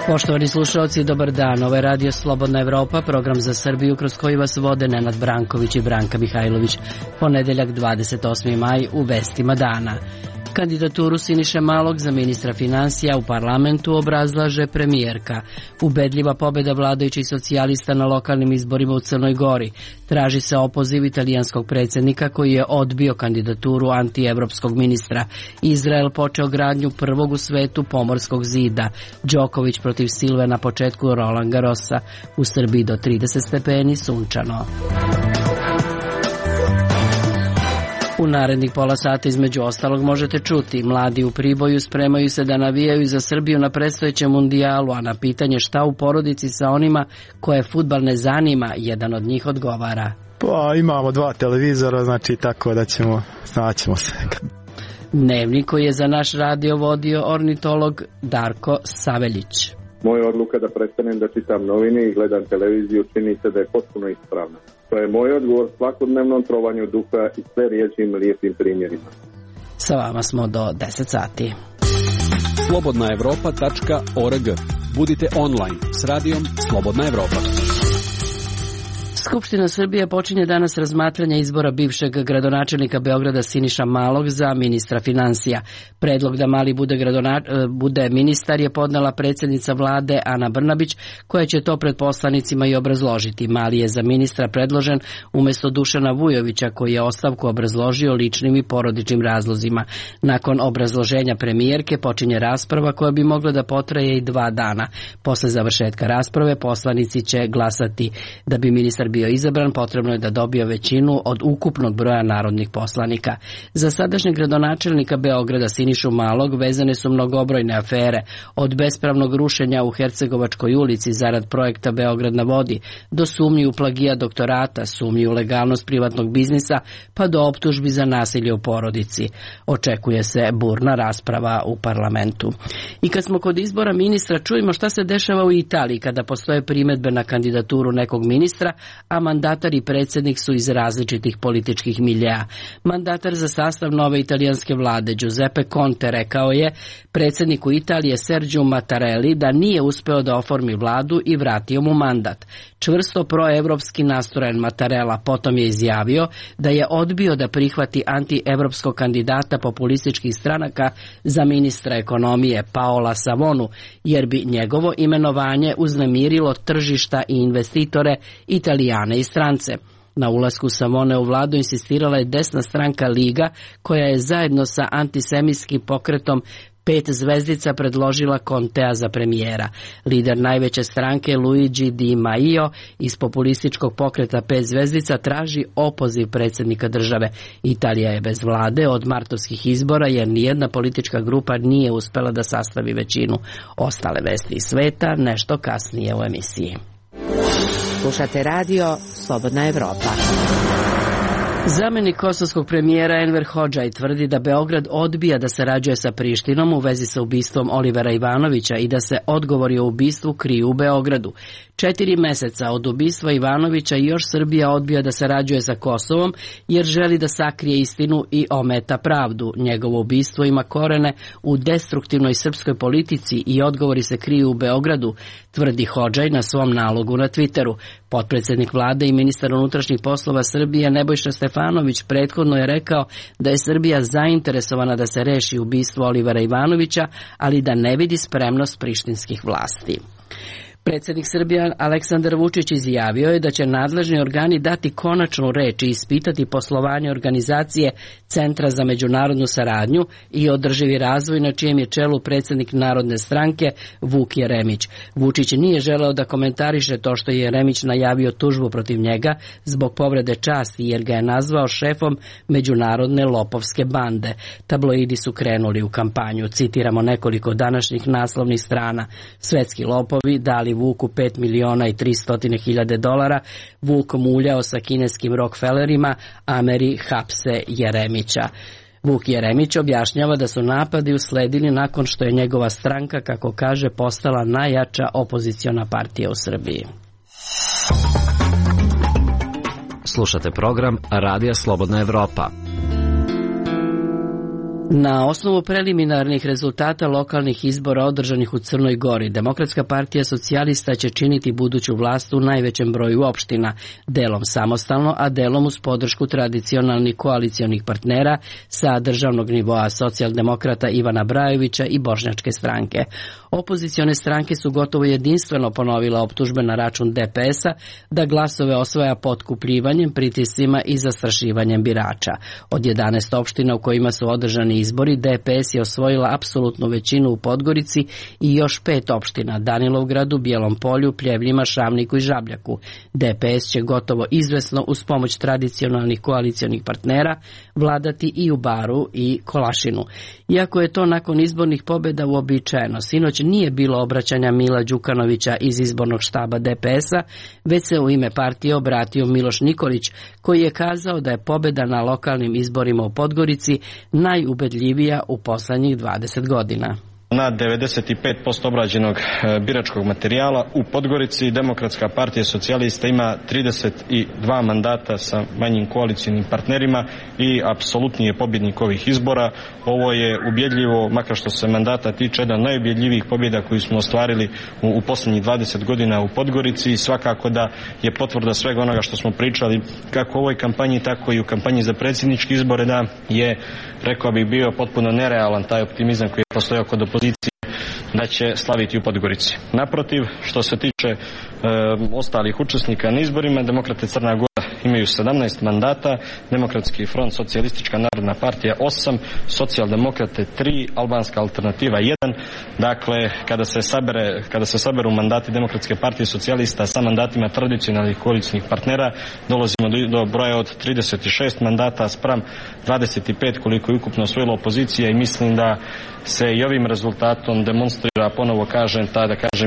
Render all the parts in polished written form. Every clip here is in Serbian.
Poštovani slušalci, dobar dan. Ovo je Radio Slobodna Evropa, program za Srbiju kroz koji vas vode Nenad Branković i Branka Mihajlović. Ponedeljak 28. maj u vestima dana. Kandidaturu Siniše Malog za ministra finansija u parlamentu obrazlaže premijerka. Ubedljiva pobjeda vladajućih socijalista na lokalnim izborima u Crnoj Gori. Traži se opoziv italijanskog predsjednika koji je odbio kandidaturu antievropskog ministra. Izrael počeo gradnju prvog u svetu pomorskog zida. Đoković protiv Silve na početku Roland Garrosa. U Srbiji do 30 stepeni, sunčano. U narednih pola sata između ostalog možete čuti: mladi u Priboju spremaju se da navijaju za Srbiju na predstojećem mundijalu, a na pitanje šta u porodici sa onima koje fudbal ne zanima, jedan od njih odgovara: Pa imamo 2 televizora, znači tako da snaćemo se. Dnevnik koji je za naš radio vodio ornitolog Darko Saveljić. Moja odluka da prestanem da čitam novine i gledam televiziju čini se da je potpuno ispravna. To je moj odgovor svakodnevnom trovanju duha i sve riječim lijepim primjerima. Sa vama smo do 10 sati. slobodnaevropa.org. Budite online s radijom Slobodna Evropa. Skupština Srbije počinje danas razmatranje izbora bivšeg gradonačelnika Beograda Siniša Malog za ministra finansija. Predlog da Mali bude ministar je podnela predsjednica vlade Ana Brnabić, koja će to pred poslanicima i obrazložiti. Mali je za ministra predložen umjesto Dušana Vujovića, koji je ostavku obrazložio ličnim i porodičnim razlozima. Nakon obrazloženja premijerke počinje rasprava koja bi mogla da potraje i 2 dana. Posle završetka rasprave poslanici će glasati. Da bi ministar bio izabran, potrebno je da dobije većinu od ukupnog broja narodnih poslanika. Za sadašnjeg gradonačelnika Beograda Sinišu Malog vezane su mnogobrojne afere, od bespravnog rušenja u Hercegovačkoj ulici zarad projekta Beograd na vodi, do sumnji u plagijat doktorata, sumnji u legalnost privatnog biznisa, pa do optužbi za nasilje u porodici. Očekuje se burna rasprava u parlamentu. I kad smo kod izbora ministra, čujemo šta se dešava u Italiji kada postoje primedbe na kandidaturu nekog ministra, a mandatar i predsjednik su iz različitih političkih miljea. Mandatar za sastav nove italijanske vlade Giuseppe Conte rekao je predsjedniku Italije Sergiju Mattarelli da nije uspeo da oformi vladu i vratio mu mandat. Čvrsto proevropski nastrojen Mattarella potom je izjavio da je odbio da prihvati antievropskog kandidata populističkih stranaka za ministra ekonomije Paola Savonu, jer bi njegovo imenovanje uznemirilo tržišta i investitore, Italijane i strance. Na ulasku Savone u vladu insistirala je desna stranka Liga, koja je zajedno sa antisemitskim pokretom 5 zvezdica predložila Contea za premijera. Lider najveće stranke Luigi Di Maio iz populističkog pokreta 5 zvezdica traži opoziv predsjednika države. Italija je bez vlade od martovskih izbora jer nijedna politička grupa nije uspela da sastavi većinu. Ostale vesti iz sveta nešto kasnije u emisiji. Slušate radio Slobodna Evropa. Zamenik kosovskog premijera Enver Hodžaj tvrdi da Beograd odbija da sarađuje sa Prištinom u vezi sa ubistvom Olivera Ivanovića i da se odgovori o ubistvu kriju u Beogradu. 4 meseca od ubistva Ivanovića još Srbija odbija da sarađuje sa Kosovom jer želi da sakrije istinu i ometa pravdu. Njegovo ubistvo ima korene u destruktivnoj srpskoj politici i odgovori se kriju u Beogradu, tvrdi Hodžaj na svom nalogu na Twitteru. Potpredsjednik vlade i ministar unutrašnjih poslova Srbije Nebojša Stefanović prethodno je rekao da je Srbija zainteresovana da se reši ubistvo Olivera Ivanovića, ali da ne vidi spremnost prištinskih vlasti. Predsjednik Srbije Aleksandar Vučić izjavio je da će nadležni organi dati konačnu reč i ispitati poslovanje organizacije Centra za međunarodnu saradnju i održivi razvoj na čijem je čelu predsjednik Narodne stranke Vuk Jeremić. Vučić nije želeo da komentariše to što je Jeremić najavio tužbu protiv njega zbog povrede časti jer ga je nazvao šefom međunarodne lopovske bande. Tabloidi su krenuli u kampanju. Citiramo nekoliko današnjih naslovnih strana. Svetski lopovi dali Vuku 5.300.000 dolara, Vuk muljao sa kineskim Rockefellerima, Ameri hapse Jeremića. Vuk Jeremić objašnjava da su napadi usledili nakon što je njegova stranka, kako kaže, postala najjača opoziciona partija u Srbiji. Slušate program Radija Slobodna Evropa. Na osnovu preliminarnih rezultata lokalnih izbora održanih u Crnoj Gori, Demokratska partija socijalista će činiti buduću vlast u najvećem broju opština, delom samostalno, a delom uz podršku tradicionalnih koalicionih partnera sa državnog nivoa socijaldemokrata Ivana Brajovića i Bošnjačke stranke. Opozicione stranke su gotovo jedinstveno ponovile optužbe na račun DPS-a da glasove osvaja potkupljivanjem, pritiscima i zastrašivanjem birača. Od 11 opština u kojima su održani izbori, DPS je osvojila apsolutnu većinu u Podgorici i još 5 opština: Danilovgradu, Bijelom Polju, Pljevljima, Šavniku i Žabljaku. DPS će gotovo izvesno uz pomoć tradicionalnih koalicionih partnera vladati i u Baru i Kolašinu. Iako je to nakon izbornih pobjeda uobičajeno, sinoć nije bilo obraćanja Mila Đukanovića iz izbornog štaba DPS-a, već se u ime partije obratio Miloš Nikolić, koji je kazao da je pobjeda na lokalnim izborima u Podgorici najubedljivija u poslednjih 20 godina. Na 95% obrađenog biračkog materijala u Podgorici Demokratska partija socijalista ima 32 mandata sa manjim koalicijnim partnerima i apsolutni je pobjednik ovih izbora. Ovo je ubjedljivo, makar što se mandata tiče, jedan najubjedljivijih pobjeda koju smo ostvarili u posljednjih 20 godina u Podgorici i svakako da je potvrda svega onoga što smo pričali kako u ovoj kampanji, tako i u kampanji za predsjedničke izbore, da je, rekao bih, bio potpuno nerealan taj optimizam koji je postojao kod opozicije da će slaviti u Podgorici. Naprotiv, što se tiče ostalih učesnika na izborima, Demokrate Crna Gora imaju 17 mandata, Demokratski front, Socijalistička narodna partija 8, Socijaldemokrate 3, Albanska alternativa 1. Dakle, kada se saberu mandati Demokratske partije socijalista sa mandatima tradicionalnih koalicijnih partnera, dolazimo do broja od 36 mandata spram 25 koliko je ukupno osvojila opozicija i mislim da se i ovim rezultatom demonstrira, ponovo kažem,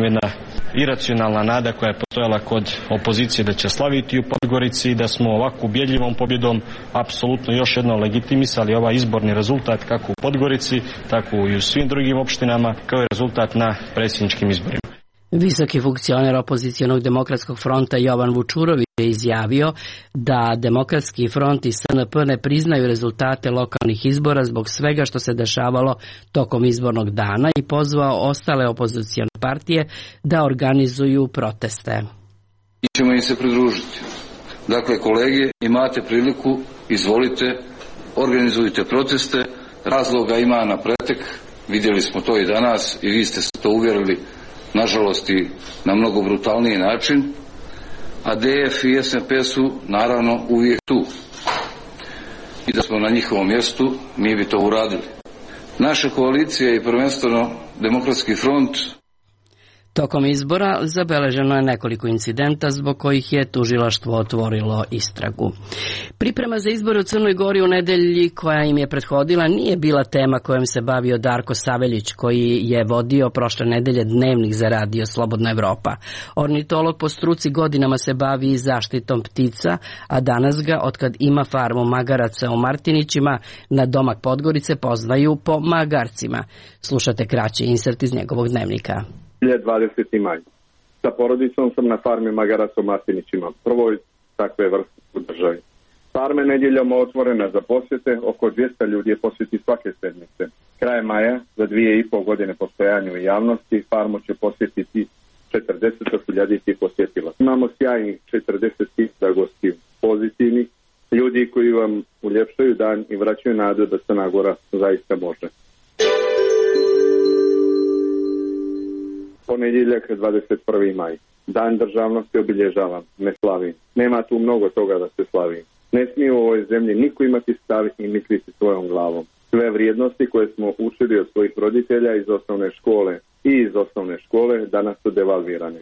jedna iracionalna nada koja je postojala kod opozicije da će slaviti u Podgorici, da smo ovako ubjedljivom pobjedom apsolutno još jednom legitimisali ovaj izborni rezultat kako u Podgorici, tako i u svim drugim opštinama, kao i rezultat na predsjedničkim izborima. Visoki funkcioner opozicionog Demokratskog fronta Jovan Vučurović je izjavio da Demokratski front i SNP ne priznaju rezultate lokalnih izbora zbog svega što se dešavalo tokom izbornog dana i pozvao ostale opozicione partije da organizuju proteste. I ćemo im se pridružiti. Dakle, kolege, imate priliku, izvolite, organizujte proteste, razloga ima na pretek, vidjeli smo to i danas i vi ste se to uvjerili, nažalost i na mnogo brutalniji način, a DF i SNP su naravno uvijek tu. I da smo na njihovom mjestu, mi bi to uradili. Naša koalicija i prvenstveno Demokratski front. Tokom izbora zabeleženo je nekoliko incidenta zbog kojih je tužilaštvo otvorilo istragu. Priprema za izbore u Crnoj Gori u nedelji koja im je prethodila nije bila tema kojom se bavio Darko Saveljić, koji je vodio prošle nedelje dnevnik za Radio Slobodna Evropa. Ornitolog po struci godinama se bavi i zaštitom ptica, a danas ga, otkad ima farmu magaraca u Martinićima, na domak Podgorice poznaju po magarcima. Slušate kraći insert iz njegovog dnevnika. 20. maj. Sa porodicom sam na farmi magaraca u Martinićima, prvoj takve vrste u državi. Farme nedjeljom otvorena za posjete, oko 200 ljudi je posjeti svake sedmice. Kraj maja, za 2,5 godine postojanja u javnosti, farmu će posjetiti 40.000 posjetila. Imamo sjajnih 40.000 gostiju, pozitivnih, ljudi koji vam uljepšaju dan i vraćaju nadu da Crna Gora zaista može. Ponedjeljak, 21. maj. Dan državnosti obilježavam, ne slavim. Nema tu mnogo toga da se slavi. Ne smije u ovoj zemlji niko imati stav i misliti svojom glavom. Sve vrijednosti koje smo učili od svojih roditelja iz osnovne škole danas su devalvirane.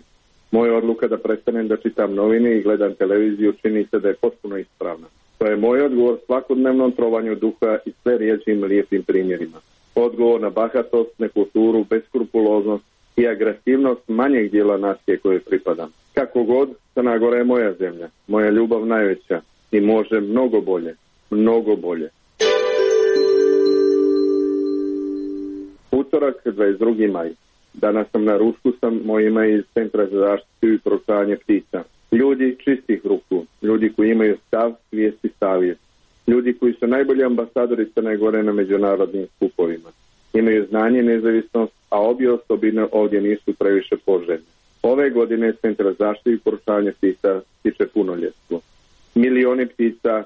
Moja odluka da prestanem da čitam novine i gledam televiziju čini se da je potpuno ispravna. To je moj odgovor svakodnevnom trovanju duha i sve riječim lijepim primjerima. Odgovor na bahatost, nekulturu, beskrupuloznost i agresivnost manjeg dijela nacije koje pripadam. Kako god, Crna Gora je moja zemlja, moja ljubav najveća i može mnogo bolje, mnogo bolje. Utorak, 22. maj. Danas sam na ručku sa mojima iz Centra za zaštitu i proučavanje ptica. Ljudi čistih ruku, ljudi koji imaju stav, svijest i savjest, ljudi koji su najbolji ambasadori Crne Gore na međunarodnim skupovima. Imaju znanje i nezavisnost, a obje osobine ovdje nisu previše poželjne. Ove godine Centar za zaštitu i poručavanje ptica stiče punoljetstvo. Milioni ptica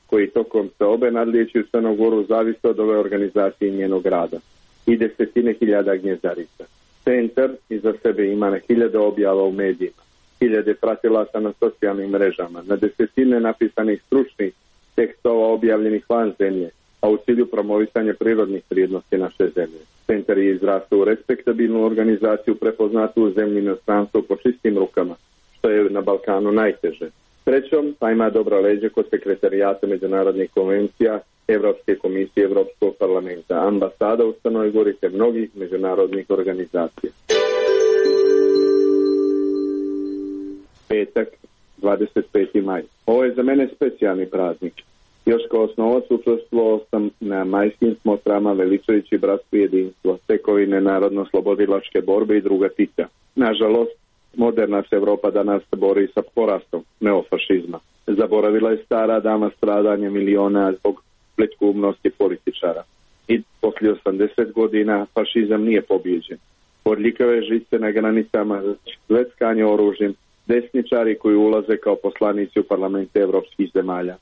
koji tokom seobe nadlijeću Crnu Goru zavise od ove organizacije i njenog rada. I desetine hiljada gnjezdarica. Centar iza sebe ima na hiljade objava u medijima, hiljade pratilaca na socijalnim mrežama, na desetine napisanih stručnih tekstova objavljenih van zemlje, a u cilju promovisanja prirodnih vrijednosti naše zemlje. Centar je izrastao u respektabilnu organizaciju prepoznatu u zemlji i inostranstvu po čistim rukama, što je na Balkanu najteže. Srećom, pa ima dobra leđa kod sekretarijata međunarodnih konvencija, Evropske komisije, Evropskog parlamenta, ambasada u Crnoj Gori te mnogih međunarodnih organizacija. Petak, 25. maj. Ovo je za mene specijalni praznik. Još kao osnovac učestvovao sam na majskim smotrama veličajući bratstvo i jedinstvo, tekovine narodno-slobodilačke borbe i druga Tita. Nažalost, moderna se Evropa danas bori sa porastom neofašizma. Zaboravila je stara dama stradanja miliona zbog plitkoumnosti političara. I poslije 80 godina fašizam nije pobjeđen. Odlikave žice na granicama, zveckanje oružjem, desničari koji ulaze kao poslanici u parlamente evropskih zemalja.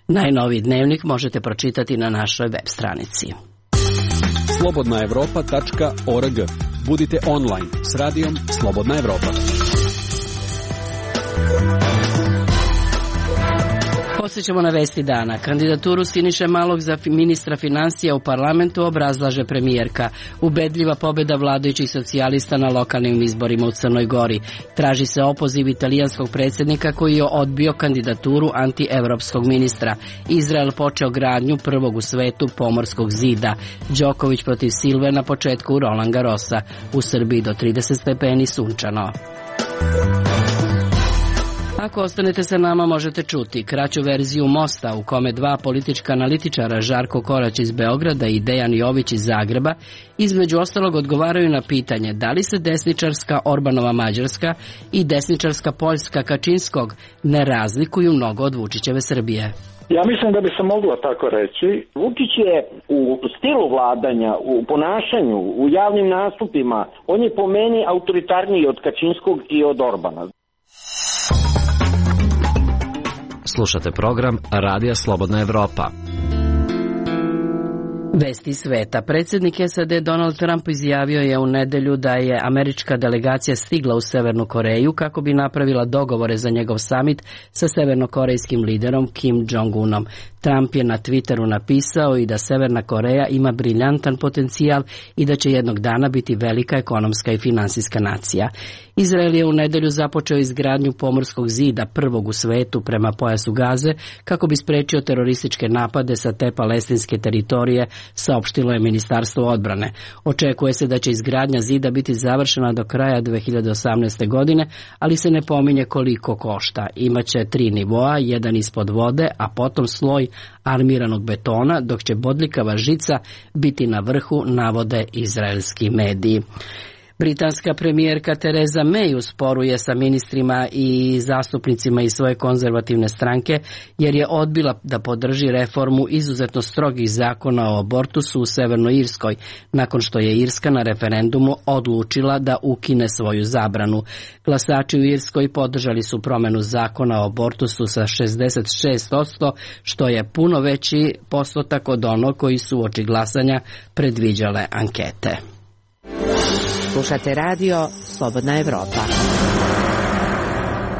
Najnoviji dnevnik možete pročitati na našoj web stranici. slobodnaevropa.org. Budite online s radijom Slobodna Evropa. Podsjećamo na vesti dana. Kandidaturu Siniše Malog za ministra financija u parlamentu obrazlaže premijerka. Ubedljiva pobjeda vladajućih socijalista na lokalnim izborima u Crnoj Gori. Traži se opoziv italijanskog predsjednika koji je odbio kandidaturu antievropskog ministra. Izrael počeo gradnju prvog u svetu pomorskog zida. Đoković protiv Silve na početku Roland Garrosa. U Srbiji do 30 stepeni sunčano. Ako ostanete sa nama možete čuti kraću verziju Mosta u kome dva politička analitičara Žarko Korać iz Beograda i Dejan Jović iz Zagreba između ostalog odgovaraju na pitanje da li se desničarska Orbanova Mađarska i desničarska Poljska Kačinskog ne razlikuju mnogo od Vučićeve Srbije. Ja mislim da bi se moglo tako reći. Vučić je u stilu vladanja, u ponašanju, u javnim nastupima, on je po meni autoritarniji od Kačinskog i od Orbana. Slušate program Radija Slobodna Evropa. Vesti sveta. Predsjednik SAD Donald Trump izjavio je u nedelju da je američka delegacija stigla u Severnu Koreju kako bi napravila dogovore za njegov samit sa severnokorejskim liderom Kim Jong-unom. Trump je na Twitteru napisao i da Severna Koreja ima briljantan potencijal i da će jednog dana biti velika ekonomska i finansijska nacija. Izrael je u nedelju započeo izgradnju pomorskog zida, prvog u svetu prema pojasu Gaze, kako bi sprečio terorističke napade sa te palestinske teritorije, saopštilo je Ministarstvo odbrane. Očekuje se da će izgradnja zida biti završena do kraja 2018. godine, ali se ne pominje koliko košta. Imaće 3 nivoa, jedan ispod vode, a potom sloj armiranog betona, dok će bodljikava žica biti na vrhu, navode izraelski mediji. Britanska premijerka Theresa May usporuje sa ministrima i zastupnicima iz svoje konzervativne stranke jer je odbila da podrži reformu izuzetno strogih zakona o abortusu u Severnoj Irskoj, nakon što je Irska na referendumu odlučila da ukine svoju zabranu. Glasači u Irskoj podržali su promjenu zakona o abortusu sa 66%, što je puno veći postotak od onog koji su uoči glasanja predviđale ankete. Slušate radio Slobodna Evropa.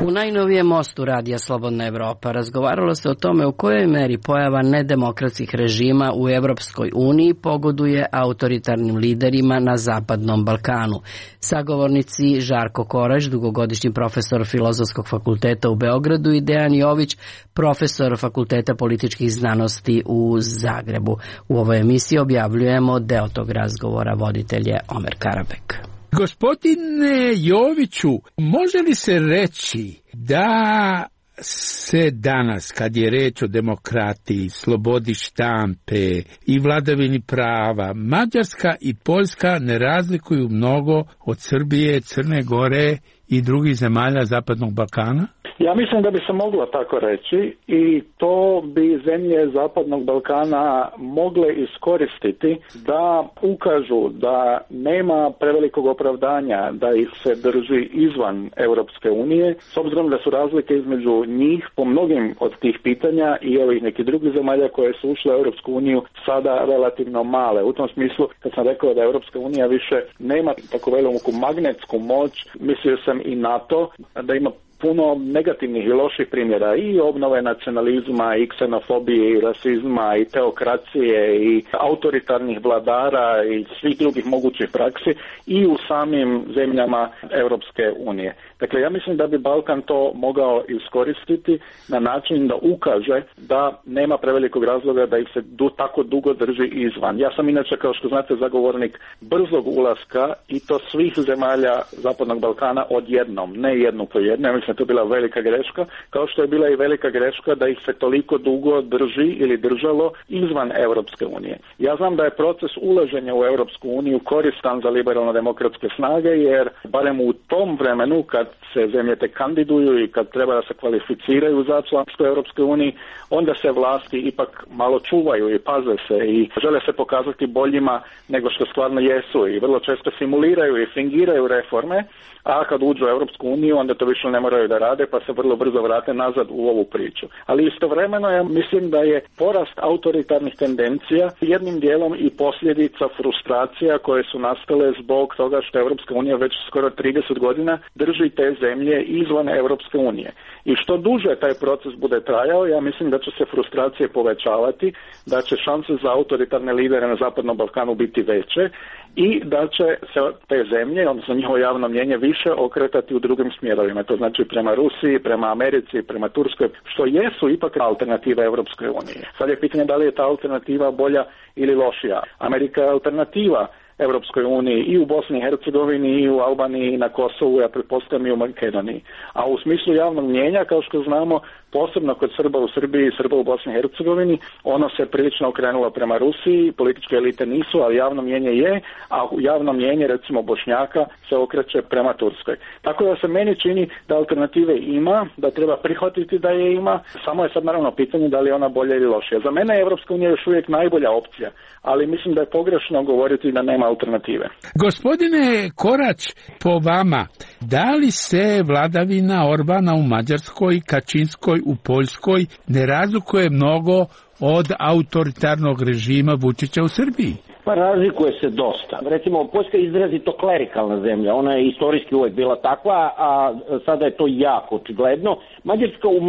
U najnovijem mostu radija Slobodna Evropa razgovaralo se o tome u kojoj meri pojava nedemokratskih režima u Evropskoj uniji pogoduje autoritarnim liderima na Zapadnom Balkanu. Sagovornici Žarko Korać, dugogodišnji profesor Filozofskog fakulteta u Beogradu, i Dejan Jović, profesor Fakulteta političkih znanosti u Zagrebu. U ovoj emisiji objavljujemo deo tog razgovora, voditelj je Omer Karabek. Gospodine Joviću, može li se reći da se danas, kad je reč o demokratiji, slobodi štampe i vladavini prava, Mađarska i Poljska ne razlikuju mnogo od Srbije, Crne Gore i drugih zemalja Zapadnog Balkana? Ja mislim da bi se moglo tako reći i to bi zemlje Zapadnog Balkana mogle iskoristiti da ukažu da nema prevelikog opravdanja da ih se drži izvan Europske unije, s obzirom da su razlike između njih po mnogim od tih pitanja i ovih nekih drugih zemalja koje su ušle u Europsku uniju sada relativno male. U tom smislu, kad sam rekao da Europska unija više nema tako veliku magnetsku moć, mislio sam i na to da ima puno negativnih i loših primjera i obnove nacionalizma i ksenofobije i rasizma i teokracije i autoritarnih vladara i svih drugih mogućih praksi i u samim zemljama Europske unije. Dakle, ja mislim da bi Balkan to mogao iskoristiti na način da ukaže da nema prevelikog razloga da ih se tako dugo drži izvan. Ja sam inače, kao što znate, zagovornik brzog ulaska i to svih zemalja Zapadnog Balkana odjednom, ne jednu po jednu. Ja mislim da je to bila velika greška, kao što je bila i velika greška da ih se toliko dugo drži ili držalo izvan Europske unije. Ja znam da je proces ulaženja u Europsku uniju koristan za liberalno-demokratske snage, jer barem u tom vremenu kad se zemlje te kandiduju i kad treba da se kvalificiraju za članstvo u Europskoj uniji, onda se vlasti ipak malo čuvaju i paze se i žele se pokazati boljima nego što stvarno jesu i vrlo često simuliraju i fingiraju reforme, a kad uđu u Europsku uniju onda to više ne moraju da rade pa se vrlo brzo vrate nazad u ovu priču. Ali istovremeno ja mislim da je porast autoritarnih tendencija jednim dijelom i posljedica frustracija koje su nastale zbog toga što Europska unija već skoro 30 godina drži te zemlje izvan Europske unije. I što duže taj proces bude trajao, ja mislim da će se frustracije povećavati, da će šanse za autoritarne lidere na Zapadnom Balkanu biti veće i da će se te zemlje, odnosno njihovo javno mnijenje, više okretati u drugim smjerovima. To znači prema Rusiji, prema Americi, prema Turskoj, što jesu ipak alternativa Europskoj uniji. Sad je pitanje da li je ta alternativa bolja ili lošija. Amerika je alternativa Europskoj uniji i u Bosni i Hercegovini i u Albaniji i na Kosovu, ja pretpostavljam i u Makedoniji. A u smislu javnog mnijenja, kao što znamo, posebno kod Srba u Srbiji i Srba u Bosni i Hercegovini, ono se prilično okrenulo prema Rusiji, političke elite nisu, ali javno mnijenje je, a javno mnijenje recimo Bošnjaka se okreće prema Turskoj. Tako da se meni čini da alternative ima, da treba prihvatiti da je ima, samo je sad naravno pitanje da li je ona bolja ili lošija. Za mene je Evropska unija još uvijek najbolja opcija, ali mislim da je pogrešno govoriti da nema alternative. Gospodine Korać, po vama, da li se vladavina Orbana u Mađarskoj, Kačinskoj u Poljskoj ne razlikuje mnogo od autoritarnog režima Vučića u Srbiji? Pa razlikuje se dosta. Recimo, Poljska je izrazito klerikalna zemlja, ona je istorijski uvijek bila takva, a sada je to jako očigledno. Mađarska u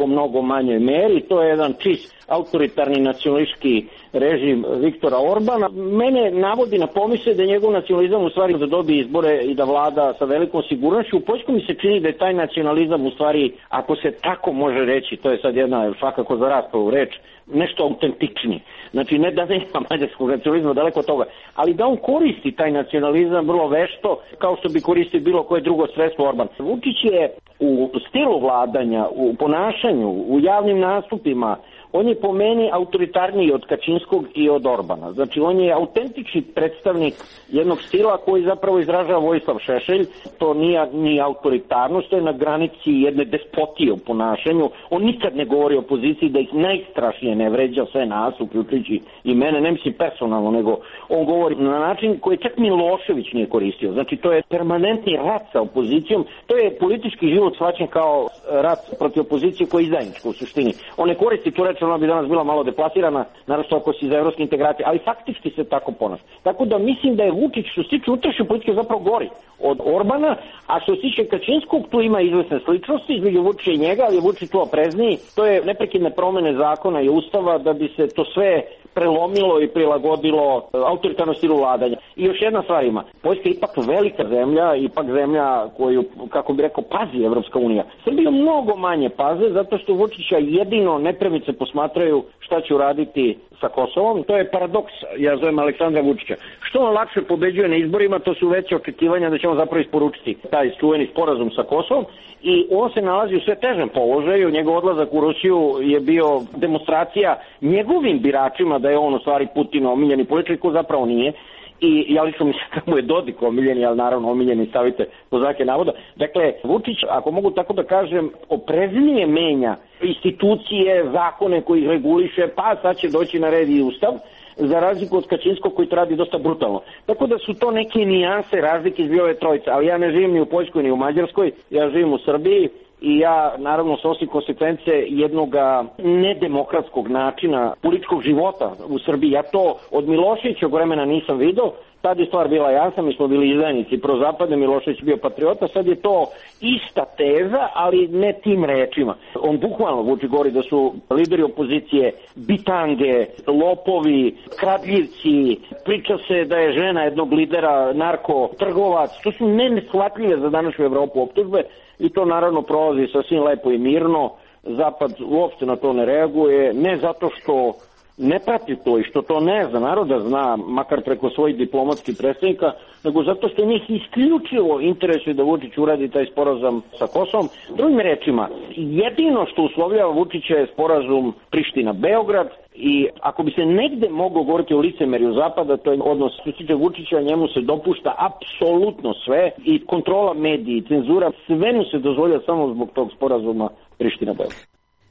mnogo manjoj meri, to je jedan čist autoritarni nacionalistički režim Viktora Orbana. Mene navodi na pomisle da je njegov nacionalizam u stvari da dobije izbore i da vlada sa velikom sigurnošću. U Poljskoj mi se čini da je taj nacionalizam u stvari, ako se tako može reći, to je sad jedna svakako za raspravu reč, nešto autentičniji. Znači ne da nema mađarskog nacionalizma, daleko od toga, ali da on koristi taj nacionalizam vrlo vešto, kao što bi koristio bilo koje drugo sredstvo Orban. Vučić je u stilu vladanja, u ponašanju, u javnim nastupima, on je po meni autoritarniji od Kačinskog i od Orbana. Znači, on je autentični predstavnik jednog stila koji zapravo izražava Vojislav Šešelj. To nije ni autoritarnost, to je na granici jedne despotije u ponašanju. On nikad ne govori o opoziciji da ih najstrašnije ne vređa sve nas, uključujući i mene, ne mislim personalno, nego on govori na način koji čak Milošević nije koristio. Znači, to je permanentni rat sa opozicijom. To je politički život shvaćen kao rat protiv opozicije koji je izdajničko u suštini. On ne koristi tu reč, ona bi danas bila malo deplasirana, naravno ako si za evropske integracije, ali faktički se tako ponaša. Tako da mislim da je Vučić, što se tiče unutrašnje politike, zapravo gori od Orbana, a što se tiče Kačinskog, tu ima izvesne sličnosti između Vučića i njega, ali je Vučić tu oprezniji. To je neprekidne promene zakona i ustava da bi se to sve prelomilo i prilagodilo autoritarnom stilu vladanja. I još jedna stvar ima. Poljska je ipak velika zemlja, ipak zemlja koju, kako bi rekao, pazi Evropska unija. Srbija mnogo manje paze, zato što Vučića jedino nepremice posmatraju šta će uraditi sa Kosovom. To je paradoks, ja zovem Aleksandra Vučića. Što on lakše pobeđuje na izborima, to su veće očekivanja da će on zapravo isporučiti taj čuveni sporazum sa Kosovom i on se nalazi u sve težem položaju. Njegov odlazak u Rusiju je bio demonstracija njegovim biračima da je on u stvari Putin omiljeni političar, ko zapravo nije. i ja lično mislim da mu je Dodik omiljeni, ali naravno omiljeni stavite po znake navoda. Dakle, Vučić, ako mogu tako da kažem, opreznije menja institucije, zakone koji ih reguliše, pa sad će doći na red i ustav, za razliku od Kačinskog koji to radi dosta brutalno. Tako da su to neke nijanse razlike između ove trojice, ali ja ne živim ni u Poljskoj ni u Mađarskoj, ja živim u Srbiji i ja naravno snosim konsekvence jednog nedemokratskog načina političkog života u Srbiji. Ja to od Miloševićeg vremena nisam vidio, tad je stvar bila jasna, mi smo bili izdajnici prozapadne, Milošević bio patriota, sad je to ista teza, ali ne tim rečima. On bukvalno Vučić govori da su lideri opozicije bitange, lopovi, kradljivci, priča se da je žena jednog lidera narkotrgovac, to su neshvatljive za današnju Evropu optužbe i to naravno prolazi sasvim lepo i mirno. Zapad uopšte na to ne reaguje, ne zato što ne prati to i što to ne zna, naroda zna, makar preko svojih diplomatskih predstavnika, nego zato što njih isključivo interesuje da Vučić uradi taj sporazum sa Kosovom. Drugim rečima, jedino što uslovljava Vučića je sporazum Priština-Beograd i ako bi se negde moglo govoriti o licemerju Zapada, to je odnos što se tiče Vučića, njemu se dopušta apsolutno sve i kontrola mediji, cenzura, sve mu se dozvolja samo zbog tog sporazuma Priština-Beograd.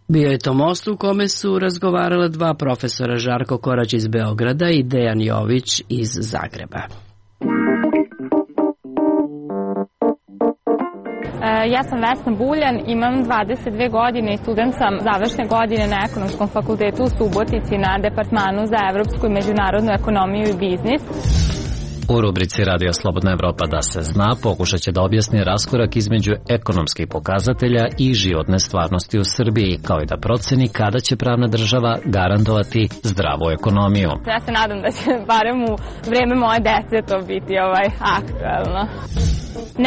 Bio je to most u kome su razgovarala dva profesora, Žarko Korać iz Beograda i Dejan Jović iz Zagreba. Ja sam Vesna Buljan, imam 22 godine i student sam završne godine na Ekonomskom fakultetu u Subotici na Departmanu za evropsku i međunarodnu ekonomiju i biznis. U rubrici Radio Slobodna Evropa da se zna pokušat će da objasni raskorak između ekonomskih pokazatelja i životne stvarnosti u Srbiji, kao i da proceni kada će pravna država garantovati zdravu ekonomiju. Ja se nadam da će barem u vreme moje dece to biti aktuelno.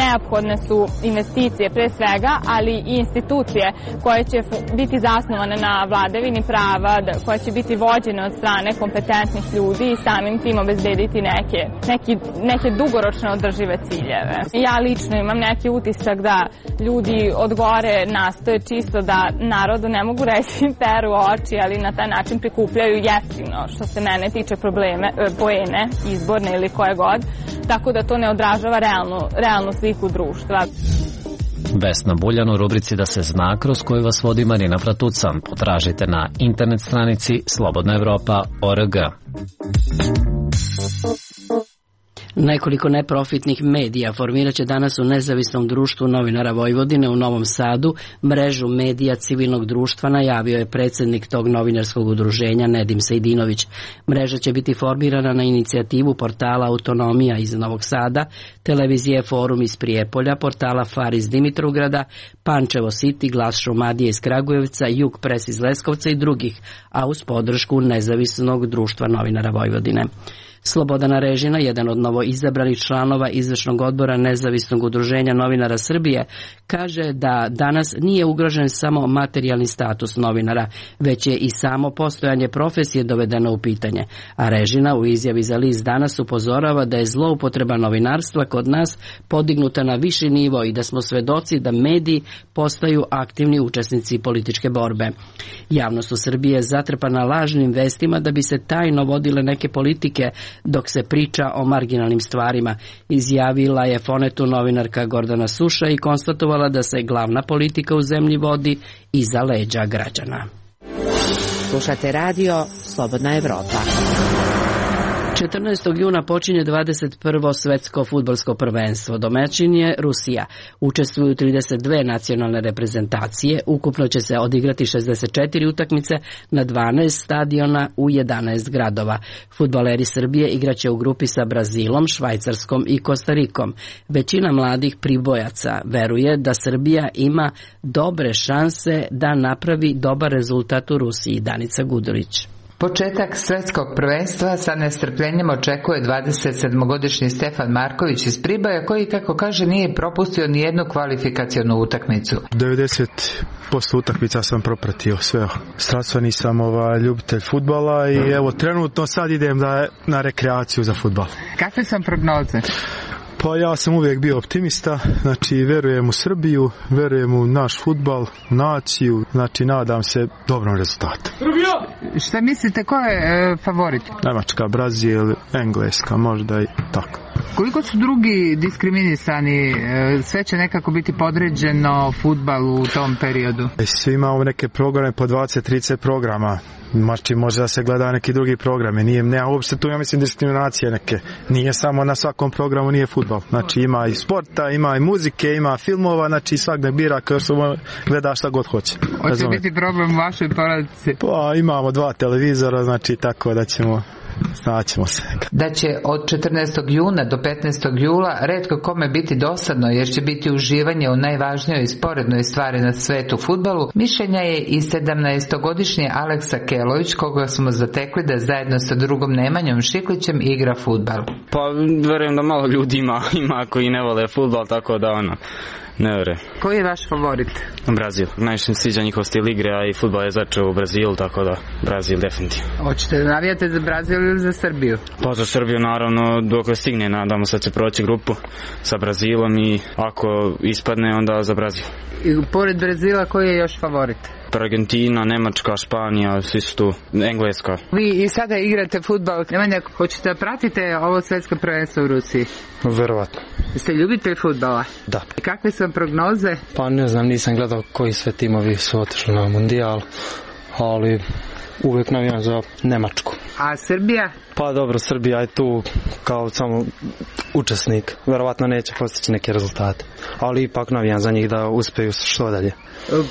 Neophodne su investicije pre svega, ali i institucije koje će biti zasnovane na vladavini prava, koje će biti vođene od strane kompetentnih ljudi i samim tim obezbediti neke dugoročne održive ciljeve. Ja lično imam neki utisak da ljudi od gore nastoje čisto da narodu, ne mogu reći peru oči, ali na taj način prikupljaju jeftino, što se mene tiče poene, izborne ili koje god, tako da to ne odražava realnu sliku društva. Vesna Buljan u rubrici Da se zna, kroz koju vas vodi Marina Pratucan. Potražite na internet stranici slobodnaevropa.org. Nekoliko neprofitnih medija formirat će danas u Nezavisnom društvu novinara Vojvodine u Novom Sadu mrežu medija civilnog društva, najavio je predsjednik tog novinarskog udruženja Nedim Sejdinović. Mreža će biti formirana na inicijativu portala Autonomija iz Novog Sada, televizije Forum iz Prijepolja, portala Far iz Dimitrovgrada, Pančevo City, Glas Šumadije iz Kragujevca, Jug Pres iz Leskovca i drugih, a uz podršku Nezavisnog društva novinara Vojvodine. Slobodana Režina, jedan od novoizabranih članova izvršnog odbora Nezavisnog udruženja novinara Srbije, kaže da danas nije ugrožen samo materijalni status novinara, već je i samo postojanje profesije dovedeno u pitanje. A Režina u izjavi za list Danas upozorava da je zloupotreba novinarstva kod nas podignuta na viši nivo i da smo svedoci da mediji postaju aktivni učesnici političke borbe. Javnost u Srbiji je zatrpana lažnim vestima da bi se tajno vodile neke politike dok se priča o marginalnim stvarima, izjavila je Fonetu novinarka Gordana Suša i konstatovala da se glavna politika u zemlji vodi iza leđa građana. Slušate radio Slobodna Evropa. 14. juna počinje 21. svetsko fudbalsko prvenstvo. Domaćin je Rusija. Učestvuju 32 nacionalne reprezentacije. Ukupno će se odigrati 64 utakmice na 12 stadiona u 11 gradova. Fudbaleri Srbije igraće u grupi sa Brazilom, Švajcarskom i Kostarikom. Većina mladih pribojaca veruje da Srbija ima dobre šanse da napravi dobar rezultat u Rusiji. Danica Gudurić. Početak svetskog prvenstva sa nestrpljenjem očekuje 27-godišnji Stefan Marković iz Priboja, koji, kako kaže, nije propustio ni jednu kvalifikacionu utakmicu. 90% utakmica sam propratio sve. Strastveni sam ljubitelj fudbala i evo trenutno sad idem na rekreaciju za fudbal. Kakve sam prognoze? Pa ja sam uvijek bio optimista, znači verujem u Srbiju, verujem u naš fudbal, u naciju, znači nadam se dobrom rezultatu. Šta mislite, ko je favorit? Nemačka, Brazil, Engleska, možda i tako. Koliko su drugi diskriminisani? Sve će nekako biti podređeno fudbalu u tom periodu? Svi imamo neke programe po 20-30 programa. Znači može da se gleda neki drugi programe. Nema uopšte tu, ja mislim, diskriminacije neke. Nije samo na svakom programu, nije fudbal. Znači ima i sporta, ima i muzike, ima filmova, znači svak ne bira kao što gleda šta god hoće. Hoće biti problem u vašoj porodici? Pa imamo 2 televizora, znači tako da ćemo... Znaćemo se. Da će od 14. juna do 15. jula retko kome biti dosadno jer će biti uživanje u najvažnijoj sporednoj stvari na svetu fudbalu, mišljenja je i 17-godišnji Aleksa Kelović, koga smo zatekli da zajedno sa drugom Nemanjom Šiklićem igra fudbal. Pa verujem da malo ljudi ima koji ne vole fudbal, tako da ne vere. Koji je vaš favorit? Brazil. Najviše mi sviđa njihov stil igre, a i fudbal je začeo u Brazilu, tako da Brazil definitivno. Hoćete da navijate za Brazil ili za Srbiju? Pa za Srbiju naravno dok stigne, nadamo se da će proći grupu sa Brazilom i ako ispadne onda za Brazil. I pored Brazila koji je još favorit? Argentina, Nemačka, Španija, svi su tu, Engleska. Vi i sada igrate fudbal, Nemanja, hoćete da pratite ovo svetsko prvenstvo u Rusiji? Verovatno. Ste ljubitelj fudbala? Da. I kakve su vam prognoze? Pa ne znam, nisam gledao koji sve timovi su otišli na mundijal, ali uvijek navijam za Nemačku. A Srbija? Pa dobro, Srbija je tu kao samo učesnik. Verovatno neće postići neke rezultate, ali ipak navijam za njih da uspeju što dalje.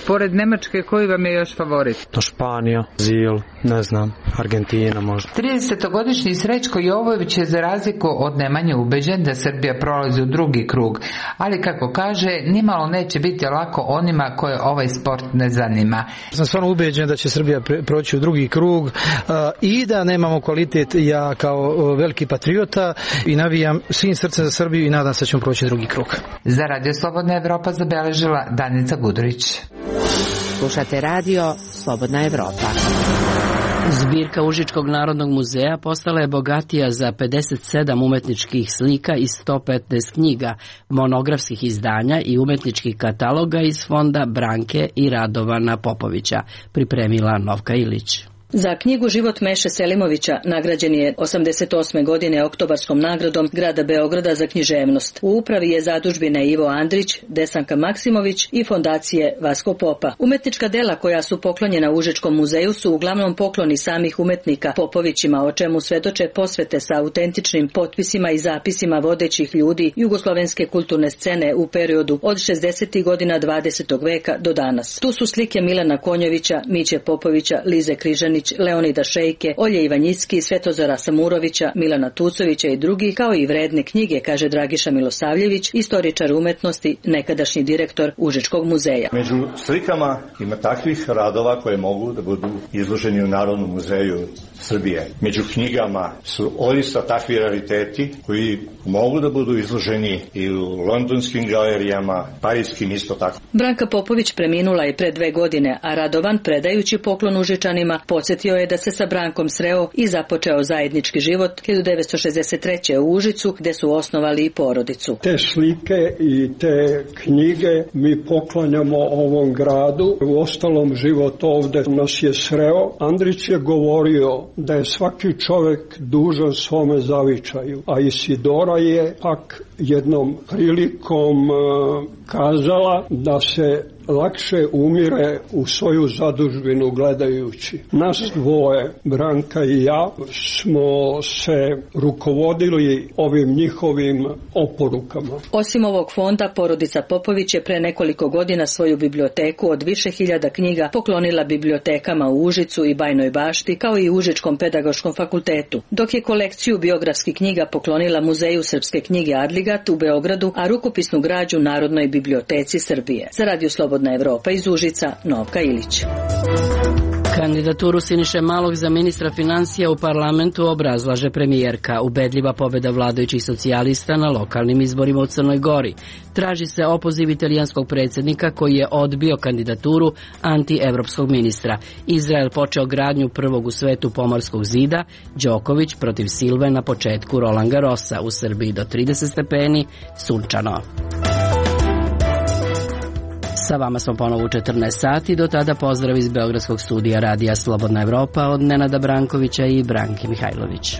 Pored Nemačke, koji vam je još favorit? To Španija, Brazil, ne znam, Argentina možda. 30-godišnji Srećko Jovojević je za razliku od Nemanje ubeđen da Srbija prolazi u drugi krug, ali kako kaže, nimalo neće biti lako onima koje ovaj sport ne zanima. Sam stvarno ubeđen da će Srbija proći u drugi krug i da nemamo kvalitet. Ja kao veliki patriota i navijam svim srcem za Srbiju i nadam se da ćemo proći drugi krug. Za Radio Slobodna Evropa zabeležila Danica Gudurić. Slušate radio Slobodna Evropa. Zbirka Užičkog narodnog muzeja postala je bogatija za 57 umetničkih slika iz 115 knjiga, monografskih izdanja i umetničkih kataloga iz fonda Branke i Radovana Popovića, pripremila Novka Ilić. Za knjigu Život Meše Selimovića nagrađen je 88. godine Oktobarskom nagradom grada Beograda za književnost. U upravi je zadužbine Ivo Andrić, Desanka Maksimović i fondacije Vasko Popa. Umetnička dela koja su poklonjena Užičkom muzeju su uglavnom pokloni samih umetnika Popovićima, o čemu svedoče posvete sa autentičnim potpisima i zapisima vodećih ljudi jugoslovenske kulturne scene u periodu od 60. godina 20. veka do danas. Tu su slike Milana Konjovića, Miće Popovića, Lize Križanić, Leonida Šejke, Olje Ivanjicki, Svetozara Samurovića, Milana Tucovića i drugih, kao i vredne knjige, kaže Dragiša Milosavljević, istoričar umetnosti, nekadašnji direktor Užičkog muzeja. Među slikama ima takvih radova koje mogu da budu izloženi u Narodnom muzeju Srbije. Među knjigama su odista takvi rariteti koji mogu da budu izloženi i u londonskim galerijama, parijskim isto tako. Branka Popović preminula je pre 2 godine, a Radovan, predajući poklon Užičanima, podsjetio je da se sa Brankom sreo i započeo zajednički život 1963. u Užicu, gde su osnovali i porodicu. Te slike i te knjige mi poklanjamo ovom gradu. U ostalom život ovde nas je sreo. Andrić je govorio da je svaki čovek dužan svome zavičaju, a Isidora je pak jednom prilikom kazala da se lakše umire u svoju zadužbinu gledajući. Nas dvoje, Branka i ja, smo se rukovodili ovim njihovim oporukama. Osim ovog fonda, porodica Popović je pre nekoliko godina svoju biblioteku od više hiljada knjiga poklonila bibliotekama u Užicu i Bajnoj Bašti, kao i Užičkom pedagoškom fakultetu, dok je kolekciju biografskih knjiga poklonila Muzeju srpske knjige Adligat u Beogradu, a rukopisnu građu Narodnoj biblioteci Srbije. Za Radio Slobodna Evropa iz Užica, Novka Ilić. Kandidaturu Siniše Malog za ministra financija u parlamentu obrazlaže premijerka. Ubedljiva pobjeda vladajućih socijalista na lokalnim izborima u Crnoj Gori. Traži se opoziv italijanskog predsjednika koji je odbio kandidaturu anti-evropskog ministra. Izrael počeo gradnju prvog u svetu pomorskog zida. Đoković protiv Silve na početku Roland Garrosa. U Srbiji do 30 stepeni, sunčano. Sa vama smo ponovo u 14 sati, do tada pozdrav iz Beogradskog studija Radija Slobodna Evropa od Nenada Brankovića i Branke Mihajlović.